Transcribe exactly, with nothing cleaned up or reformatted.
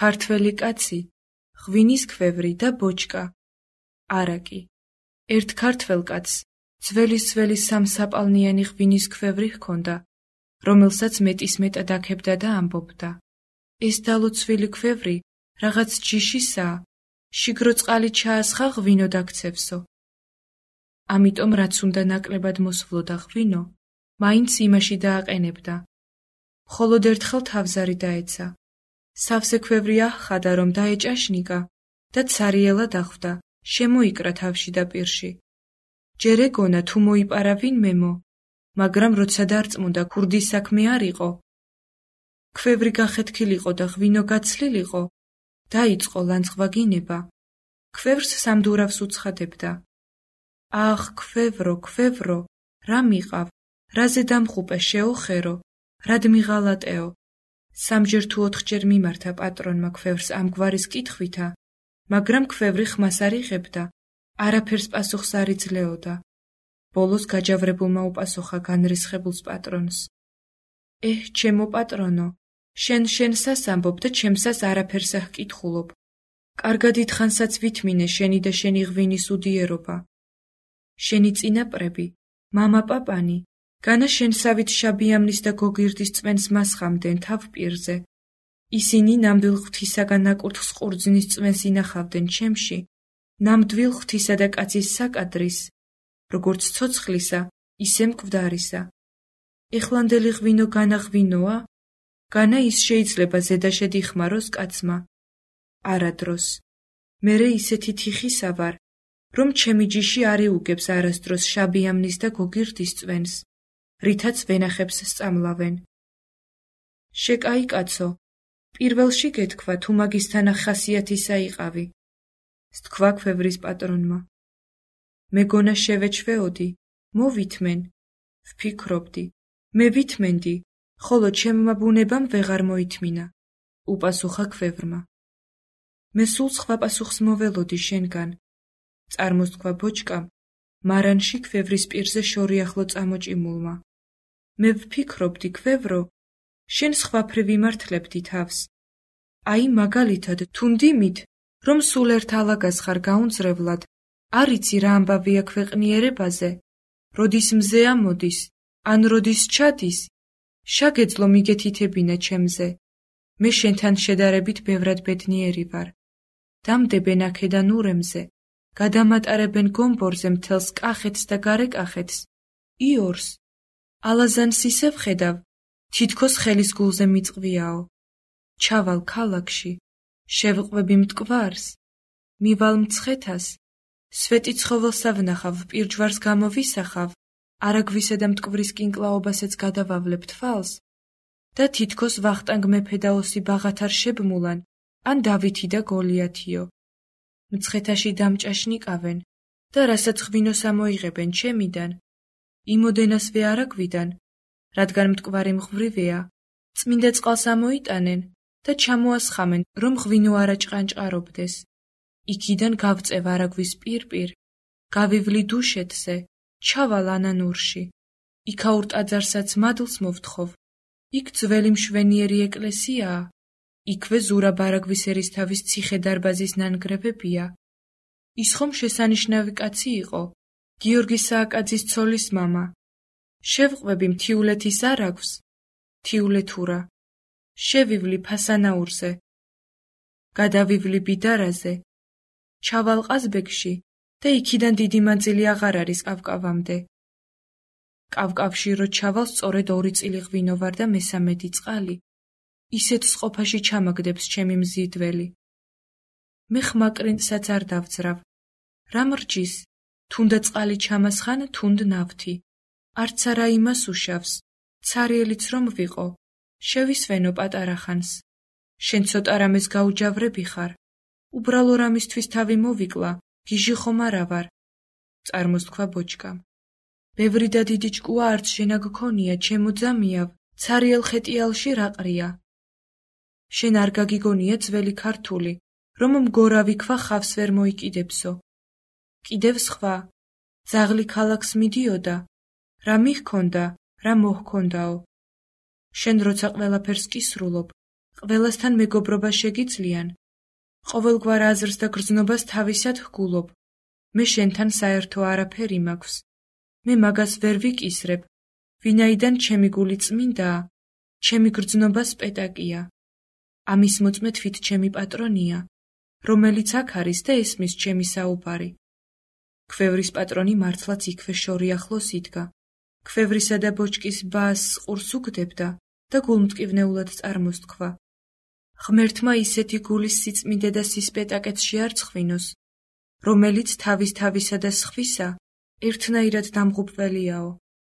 ქართველი კაცი, ღვინის ქვევრი და ბოჭკა. არაკი. ერთ ქართველ კაცს ძველის-ძველი სამსაპალნიანი ღვინის ქვევრი ჰქონდა, რომელსაც მეტის მეტად აქებდა და ამბობდა: ეს დალოცვილი ქვევრი რაღაც ჯიშისაა, შიგრო წყალი ჩაასხა ღვინო დაგცევსო. ამიტომ რაც უნდა ნაკლებად მოსვლოდა ღვინო, მაინც იმაში დააყენებდა. მხოლოდ ერთხელ თავზარი დაეცა. სავსე ქვევრი აჰხადა, რომ დაეჭაშნიკა და ცარიელა დახვდა, შემოიკრა თავში და პირში. ჯერ ეგონა თუ მოიპარა ვინმემო, მაგრამ როცა დარწმუნდა ქურდის საქმე არ იყო, ქვევრი გახეთქილიყო და ღვინო გაცლილიყო, დაიწყო ლანძღვაგინება. ქვევრს სამდურავს უცხადებდა: ახ, ქვევრო, ქვევრო, რა მიყავ, რაზე დამხუპე შეოხერო, რად მიღალატეო. სამჯერ თუ ოთხჯერ მიმართა პატრონმა ქვევრს ამგვარის კითხვითა, მაგრამ ქვევრი ხმას არ იღებდა, არაფერს პასუხს არ იძლეოდა. ბოლოს გაჯავრებულმა უპასუხა განრისხებულს პატრონს: ეჰ, ჩემო პატრონო, შენ შენსას ამბობ და ჩემსას არაფერს აჰკითხულობ. კარგად ითხანსაც ვითმინე შენი და შენი ღვინის უდიერობა. შენი წინაპრები, მამა პაპანი, განა შენსავით შაბიამნის და გოგირდის წვენს მასხამდნენ თავ პირზე. ისინი ნამდვილ ღვთისაგან ნაკურთხს ყურძნის წვენს ინახავდნენ ჩემში, ნამდვილ ღვთისა და კაცის საკადრის, როგორც ცოცხლისა, ისე მკვდარისა. ეხლანდელი ღვინო განა ღვინოა? განა ის შეიძლება ზედაშედ იხმაროს კაცმა? არადროს. მერე ისეთი თიხისა ვარ, რომ ჩემი ჯიში არ იუგებს არასდროს შაბიამნის და გოგირდის წვენს, რითაც ვენახებს სწამლავენ. შეკაი კაცო, პირველში გეთქვა თუ მაგისთან ახასიათისა იყავი, სთქვა ქვევრის პატრონმა. მეგონა შევეჩვეოდი, მოვითმენ, ვფიქრობდი, მე ვითმენდი, ხოლო ჩემმა ბუნებამ ვეღარ მოითმინა, უპასუხა ქვევრმა. მე სულ სხვა პასუხს მოველოდი შენგან, წარმოსთქვა ბოჭკამ, მარანში ქვევრის პირზე შორი ახლო წამოჭიმულმა. მე ვფიქრობდი, ქვევრო, შენ სხვაფრე ვიმართლებდი თავს. აი მაგალითად თუ მდიმით, რომ სულ ერთ ალაგას ხარ გაუნձრებლად, არ იცი რა ამბავია ქვეყნიერებაზე, როდის მზე ამოდის, ან როდის ჩადის, შაგეძლო მიგეთითებინა ჩემზე. მე შენთან შედარებით ბევრად ბედნიერი ვარ. დამდებენ აქედან ურემზე, გადამატარებენ გომბორზე მთელს კახეთს და გარეკახეთს, იორს. ალაზანს ისე ვხედავ, თითქოს ხელის გულზე მიწყვიაო. ჩავალ ქალაქში, შევყვები მტკვარს, მივალ მცხეთას, სვეტი ცხოველსა ვნახავ, პირჯვარს გამოვისახავ, არაგვისა და მტკვრის კინკლაობასაც გადავავლებ თვალს და თითქოს ვახტანგ მეფე და ოსი ბაღათარ შებმულან, ან დავითი და გოლიათიო. მცხეთაში დამჭაშნიკავენ და რასაც ღვინოს ამოიღებენ ჩემიდან, იმოდენას ვე არაგვიდან, რადგან მტკვარი მღვრივეა, წმინდა წყალს ამოიტანენ და ჩამოასხამენ, რომ ღვინო არაჭყანჭყარობდეს. იქიდან გავწევ არაგვის პირპირ, გავივლი დუშეთზე, ჩავალ ანანურში, იქაურ ტაძარსაც მადლს მოვთხოვ. იქ ძველი მშვენიერი ეკლესიაა, იქვე ზურაბ არაგვის ერისთავის ციხე-დარბაზის ნანგრევებია. ის ხომ შესანიშნავი კაცი იყო, გიორგი სააკაძის ცოლის მამა. შევყვები მთიულეთის არაგვს, მთიულეთურა. შევივლი ფასანაურზე, გადავივლი ბიდარაზე, ჩავალ ყაზბეგში და იქიდან დიდი მანძილი აღარ არის კავკავამდე. კავკავში რო ჩავალ, სწორედ ორი წილი ღვინო ვარ და მესამედი წყალი. ისეთ სყოფაში ჩამაგდებს ჩემი მზიდველი. მე ხმაკრინტსაც არ დავძრავ. რა მრჯის, თუნდა წყალი ჩამასხან, თუნდ ნავთი. არც არა იმას უშავს, ცარიელიც რომ ვიყო, შევისვენო პატარა ხანს. შენ ცოტა რამეს გაუჯავრები ხარ, უბრალო რამისთვის თავი მოვიკლა, გიჟი ხომ არა ვარ, წარმოსთქვა ბოჭკამ. ბევრი და დიდი ჭკუა არც შენა გქონია, ჩემო ძამიავ, ცარიელ ხეტიალში რაყრია. შენ არ გაგიგონია ძველი ქართული, რომ მგორავი ქვა ხავს ვერ მოიკიდებსო. კიდევ სხვა, ძაღლი ქალაქს მიდიოდა, რა მიჰქონდა, რა მოჰქონდაო. შენ როცა ყველაფერს კისრულობ, ყველასთან მეგობრობა შეგიძლიან? ყოველგვარ აზრს და გრძნობას თავისად ჰგულობ. მე შენთან საერთო არაფერი მაქვს. მე მაგას ვერ ვიკისრებ, ვინაიდან ჩემი გული წმინდაა, ჩემი გრძნობა სპეტაკია. ამის მოწმე თვით ჩემი პატრონია, რომელიც აქ არის და ესმის ჩემი საუბარი. ქვევრის პატრონი მართლაც იქვე შორი ახლოს იდგა. ქვევრისა და ბოჭკის ბას ყურს უგდებდა და გულმტკივნეულად წარმოსთქვა. ღმერთმა ისეთი გულის სიწმინდე და სისპეტაკეც შეარცხვინოს, რომელიც თავის თავისა და სხვისა ერთნაირად დამღუპველიაო.